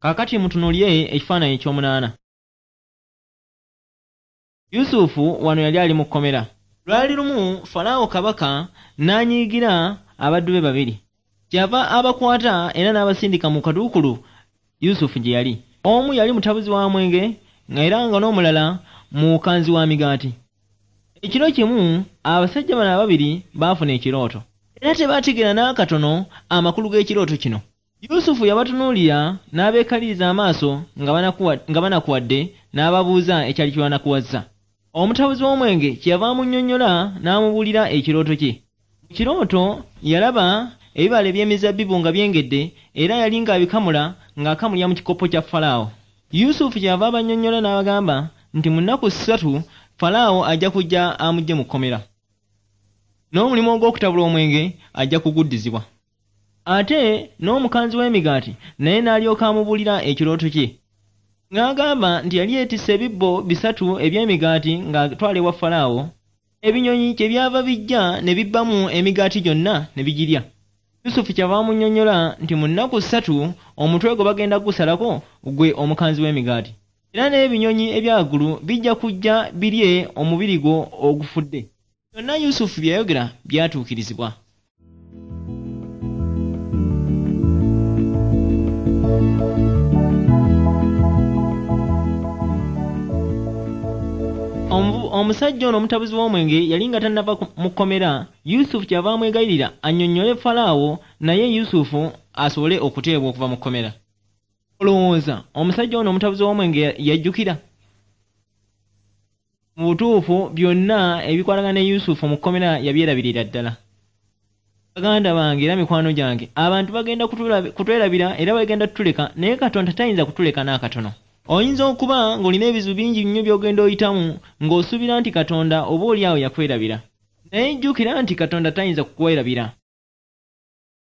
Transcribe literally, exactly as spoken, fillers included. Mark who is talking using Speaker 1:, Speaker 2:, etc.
Speaker 1: Kaakati mutunuulire ekifaananyi eky'omunaana. Yusufu wano yali ali mu kkomera. Lwali lumu Falaawo kabaka n'anyiigira abaddu be babiri. Kyava abakwata era n'abasindika mu kaduukulu Yusufu gye yali. Omu yali mutabuzi wa mwenge era nga n'omulala mukanzi wa migaati. Ekiro kimu abasajja bano ababiri baafuna ekirooto. Era tebaategeera n'akatono amakulu g'ekirooto kino. Yusufu yabatunuulira n'abeekaliriza amaaso nga banakuwadde n'ababuuza ekyali kibanakuwazza. Omutabuzi w'omwenge kyeyava amunnyonnyola n'amubuulira ekirooto kye. Mu kirooto yalaba ebibala eby'emizabbibu nga byengedde era yali ng'abikamula ng'akamulira mu kikopo kya Falaawo. Yusufu kyeyava abannyonnyola n'abagamba nti mu nnaku ssatu Falaawo ajja kujja amuggye mu kkomera. N'omulimu ogw'okutabula omwenge ajja kuguddizibwa. Ate n'omukanzi w'emigaati naye n'alyoka amubuulira ekirooto kye. Ng'agamba nti yali yeetisse ebibbo bisatu eby'emigaati ng'atwala ewa Falaawo, ebinyonyi kye byava bijja ne bibbamu emigaati gyonna ne bigirya. Yusufu kyava amunnyonnyola nti mu nnaku ssatu omutwe gwe bagenda kugusalako gwe omukanzi w'emigaati. Era n'ebinyonyi ebyawaggulu bijja kujja birye omubiri gwo ogufudde. Byonna Yusufu bye yayogera byatuukirizibwa. Omusajja ono omutabuzi w'omwenge yali nga tannava mu kkomera, Yusufu kyava amwegayirira annyonnyole Falaawo naye Yusufu asobole okuteebwa okuva mu kkomera. Olowooza omusajja ono omutabuzi w'omwenge yajjukira? Mu butuufu byonna ebikwatagana ne Yusufu mu kkomera yabyerabirira ddala. Baganda bange era mikwano gyange, abantu bagenda kutwerabira era bagenda kutuleka, naye Katonda tayinza kutuleka n'akatono. Oyinza okuba ng'olina ebizibu bingi nnyo by'ogenda oyitamu ng'osuubira nti Katonda oba oli awo yakwerabira. Naye jjukira nti Katonda tayinza kukwerabira.